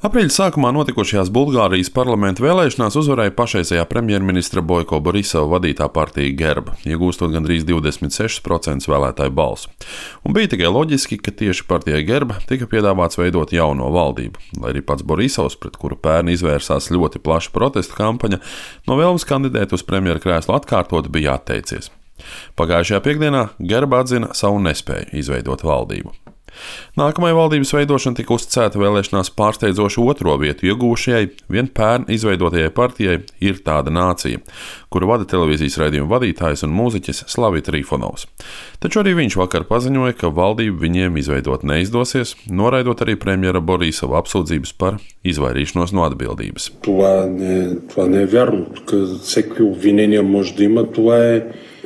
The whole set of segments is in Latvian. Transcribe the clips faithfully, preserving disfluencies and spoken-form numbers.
Aprīļa sākumā notikušajās Bulgārijas parlamenta vēlēšanās uzvarēja pašreizējā premjerministra Boiko Borisova vadītā partija Gerba, iegūstot gandrīz divdesmit sešus procentus vēlētāju balsu. Un bija tikai loģiski, ka tieši partijai Gerba tika piedāvāts veidot jauno valdību, lai arī pats Borisovs, pret kuru pērn izvērsās ļoti plaša protestu kampaņa, no vēlmes kandidēt uz premjera krēslu atkārtot bija atteicies. Pagājušajā piekdienā Gerba atzina savu nespēju izveidot valdību. Nākamajai valdības veidošana tika uzticēta vēlēšanās pārsteidzoši otro vietu iegūšajai, vien pērn izveidotajai partijai Ir tāda nācija, kuru vada televīzijas raidījuma vadītājs un mūziķis Slavija Trifonovs. Taču arī viņš vakar paziņoja, ka valdību viņiem izveidot neizdosies, noraidot arī premjera Borisova apsūdzības par izvairīšanos no atbildības. Това не, това не е вярно. Тук всеки обвинения може да има. Това е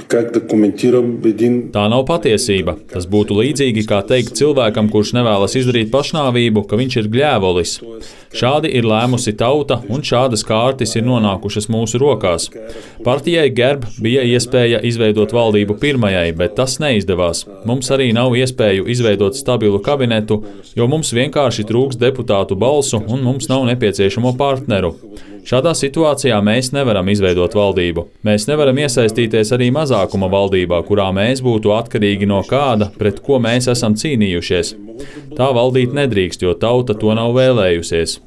как да коментирам един... Tā nav patiesība. Tas būtu līdzīgi kā teikt cilvēkam, kurš nevēlas izdarīt pašnāvību, ka viņš ir gļēvolis. Šādi ir lēmusi tauta, un šādas kārtas ir nonākušas mūsu rokās. Partijai Gerb bija iespēja izveidot valdību pirmajai, bet tas neizdevās. Mums arī nav iespēju izveidot stabilu kabinetu, jo mums vienkārši trūks deputātu balsu un mums nav nepieciešamo partneru. Šādā situācijā mēs nevaram izveidot valdību. Mēs nevaram iesaistīties arī mazākuma valdībā, kurā mēs būtu atkarīgi no kāda, pret ko mēs esam cīnījušies. Tā valdīt nedrīkst, jo tauta to nav vēlējusies.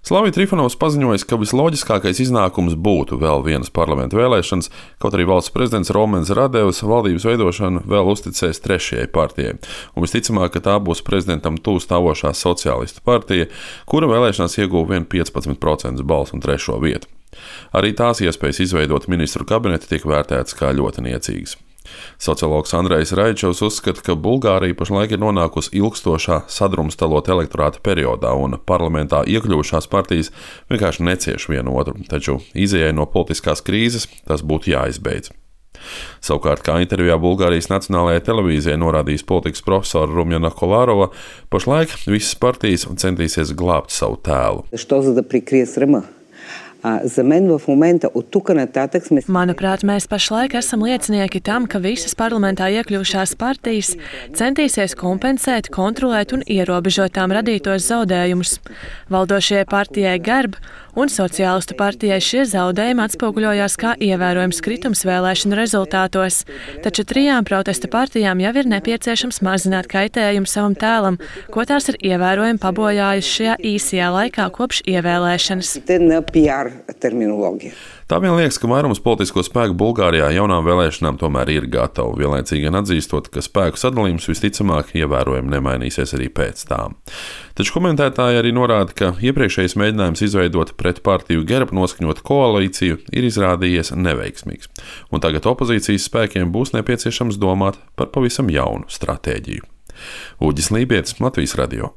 Slavija Trifonovs paziņoja, ka visloģiskākais iznākums būtu vēl vienas parlamenta vēlēšanas, kaut arī valsts prezidents Romens Radevs valdības veidošanu vēl uzticēs trešajai partijai. Un visticamāk, ka tā būs prezidentam tuvu stāvošā sociālistu partija, kura vēlēšanās ieguva vien piecpadsmit procentus balsu un trešo vietu. Arī tās iespējas izveidot ministru kabinetu tiek vērtētas kā ļoti niecīgas. Sociologs Andrejs Raičovs uzskata, ka Bulgārija pašlaik ir nonākusi ilgstošā sadrumstalota elektorāta periodā un parlamentā iekļuvušās partijas vienkārši necieš vienu otru, taču izejai no politiskās krīzes tas būtu jāizbeidz. Savukārt, kā intervijā Bulgārijas Nacionālajai televīzijai norādījis politikas profesora Rumjana Kolārova, pašlaik visas partijas centīsies glābt savu tēlu. Manuprāt, mēs pašlaik esam liecinieki tam, ka visas parlamentā iekļuvušās partijas centīsies kompensēt, kontrolēt un ierobežot tām radītos zaudējumus. Valdošajai partijai Gerb un sociālistu partijai šie zaudējumi atspoguļojās kā ievērojams kritums vēlēšanu rezultātos, taču trijām protesta partijām jau ir nepieciešams mazināt kaitējumu savam tēlam, ko tās ir ievērojami pabojājusi šajā īsajā laikā kopš ievēlēšanas. Tā vien liekas, ka vairums politisko spēku Bulgārijā jaunām vēlēšanām tomēr ir gatavi, vienlaicīgi gan atzīstot, ka spēku sadalījums visticamāk ievērojami nemainīsies arī pēc tām. Taču komentētāji arī norāda, ka iepriekšējais mēģinājums izveidot pret partiju Gerb noskaņotu koalīciju ir izrādījies neveiksmīgs, un tagad opozīcijas spēkiem būs nepieciešams domāt par pavisam jaunu stratēģiju. Uģis Lībietis, Latvijas radio.